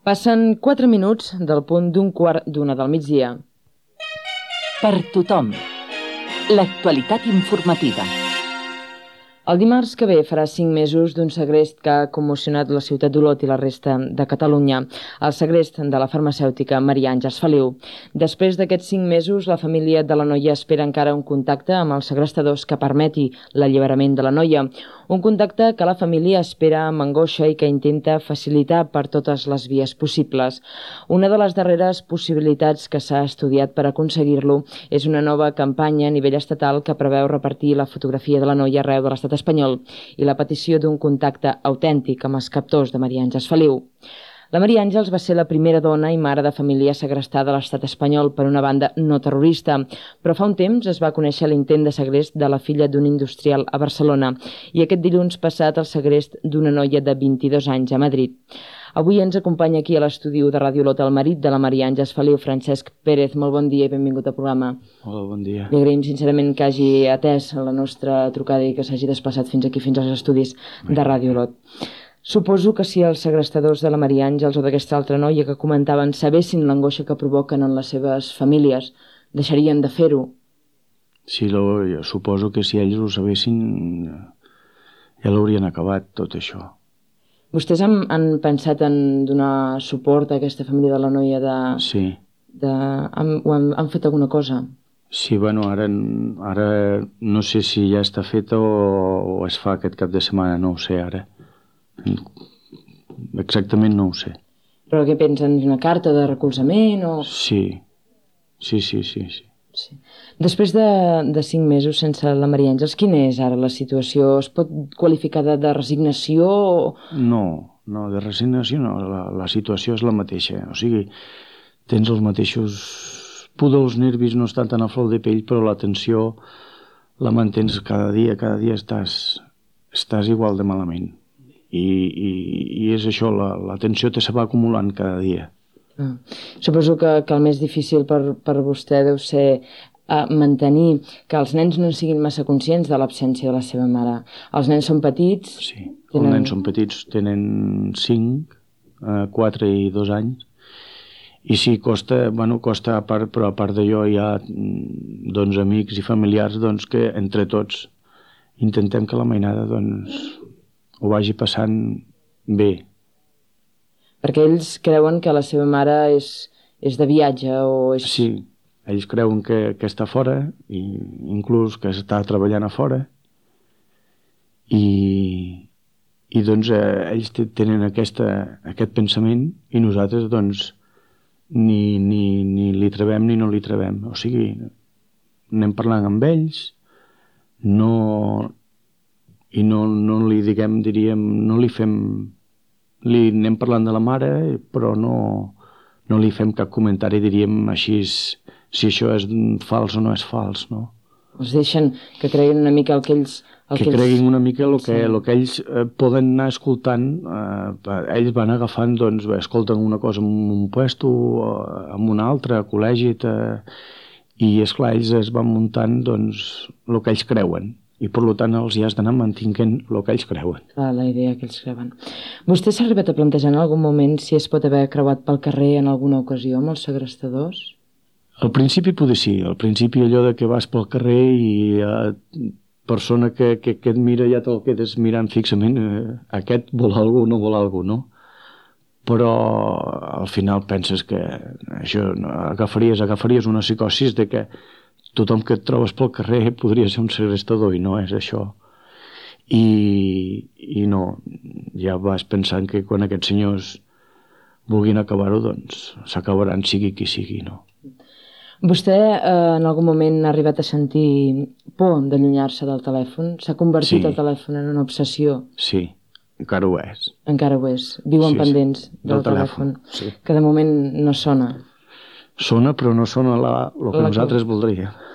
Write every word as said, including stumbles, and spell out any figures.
Passen quatre minuts del punt d'un quart d'una del migdia. Per tothom, l'actualitat informativa. El dimarts que ve farà cinc mesos d'un segrest que ha commocionat la ciutat d'Olot i la resta de Catalunya, el segrest de la farmacèutica Maria Àngels Feliu. Després d'aquests cinc mesos, la família de la noia espera encara un contacte amb els segrestadors que permeti l'alliberament de la noia. Un contacte que la família espera amb angoixa i que intenta facilitar per totes les vies possibles. Una de les darreres possibilitats que s'ha estudiat per aconseguir-lo és una nova campanya a nivell estatal que preveu repartir la fotografia de la noia arreu de l'estat espanyol i la petició d'un contacte autèntic amb els captors de Maria Àngels Feliu. La Maria Àngels va ser la primera dona i mare de família segrestada a l'estat espanyol per una banda no terrorista, però fa un temps es va conèixer l'intent de segrest de la filla d'un industrial a Barcelona i aquest dilluns passat el segrest d'una noia de vint-i-dos anys a Madrid. Avui ens acompanya aquí a l'estudi de Ràdio Olot el marit de la Maria Àngels Feliu, Francesc Pérez. Molt bon dia i benvingut al programa. Hola, bon dia. Li agraïm sincerament que hagi atès la nostra trucada i que s'hagi desplaçat fins aquí, fins als estudis de Ràdio Olot. Suposo que si els segrestadors de la Maria Àngels o d'aquesta altra noia que comentaven sabessin l'angoixa que provoquen en les seves famílies, deixarien de fer-ho. Sí, lo, jo suposo que si ells ho sabessin ja l'haurien acabat tot això. Vostès han, han pensat en donar suport a aquesta família de la noia de... Sí. De, han, han, han fet alguna cosa? Sí, bueno, ara, ara no sé si ja està feta o, o es fa aquest cap de setmana, no ho sé ara. Exactament no ho sé. Però què pensen? Una carta de recolzament o...? Sí, sí, sí, sí, sí. Sí. Després de, de cinc mesos sense la Maria Àngels, quina és ara la situació? Es pot qualificar de, de resignació? O... No, no, de resignació no, la, la situació és la mateixa. O sigui, tens els mateixos pudor, els nervis no estan tan a flor de pell, però la tensió la mantens cada dia, cada dia estàs, estàs igual de malament. I, i, i és això, la, la tensió te se va acumulant cada dia. Ah. Suposo que, que el més difícil per, per vostè deu ser uh, mantenir que els nens no siguin massa conscients de l'absència de la seva mare. Els nens són petits? Sí, tenen... els nens són petits, tenen cinc, quatre i dos anys. I sí, costa, bueno, costa a part, però a part d'allò hi ha doncs, amics i familiars doncs, que entre tots intentem que la mainada doncs, ho vagi passant bé. Perquè ells creuen que la seva mare és, és de viatge o és... Sí, ells creuen que, que està fora, i inclús que està treballant a fora, i, i doncs eh, ells tenen aquesta, aquest pensament i nosaltres doncs ni, ni, ni li trebem ni no li trebem. O sigui, anem parlant amb ells, no, i no, no li diguem, diríem, no li fem... Li anem parlant de la mare, però no, no li fem cap comentari, diríem així, si això és fals o no és fals, no? Els deixen que creguin una mica el que ells... El que, que creguin ells... una mica el que, sí. el que ells eh, poden anar escoltant, eh, ells van agafant, doncs, escolten una cosa en un puesto, en un altre, a col·legi, eh, i esclar, ells es van muntant, doncs, el que ells creuen. I per tant els hi has d'anar mantinguent el que ells creuen. Clar, la idea que ells creuen. Vostè s'ha arribat a plantejar en algun moment si es pot haver creuat pel carrer en alguna ocasió amb els segrestadors? Al principi poder sí, al principi allò de que vas pel carrer i eh, persona que, que, que et mira ja te'l quedes mirant fixament, eh, aquest vol algú o no vol algú, no? Però al final penses que això agafaries, agafaries una psicosis de que tothom que et trobes pel carrer podria ser un segrestador i no és això. I, i no, ja vas pensant que quan aquests senyors vulguin acabar-ho, doncs s'acabaran sigui qui sigui, no? Vostè eh, en algun moment ha arribat a sentir por d'allunyar-se del telèfon? S'ha convertit sí. el telèfon en una obsessió? Sí, encara ho és. Encara ho és. Viuen sí, pendents sí. del, del telèfon, telèfon sí. Que de moment no sona. Sona, però no sona la, el que la nosaltres que... voldríem.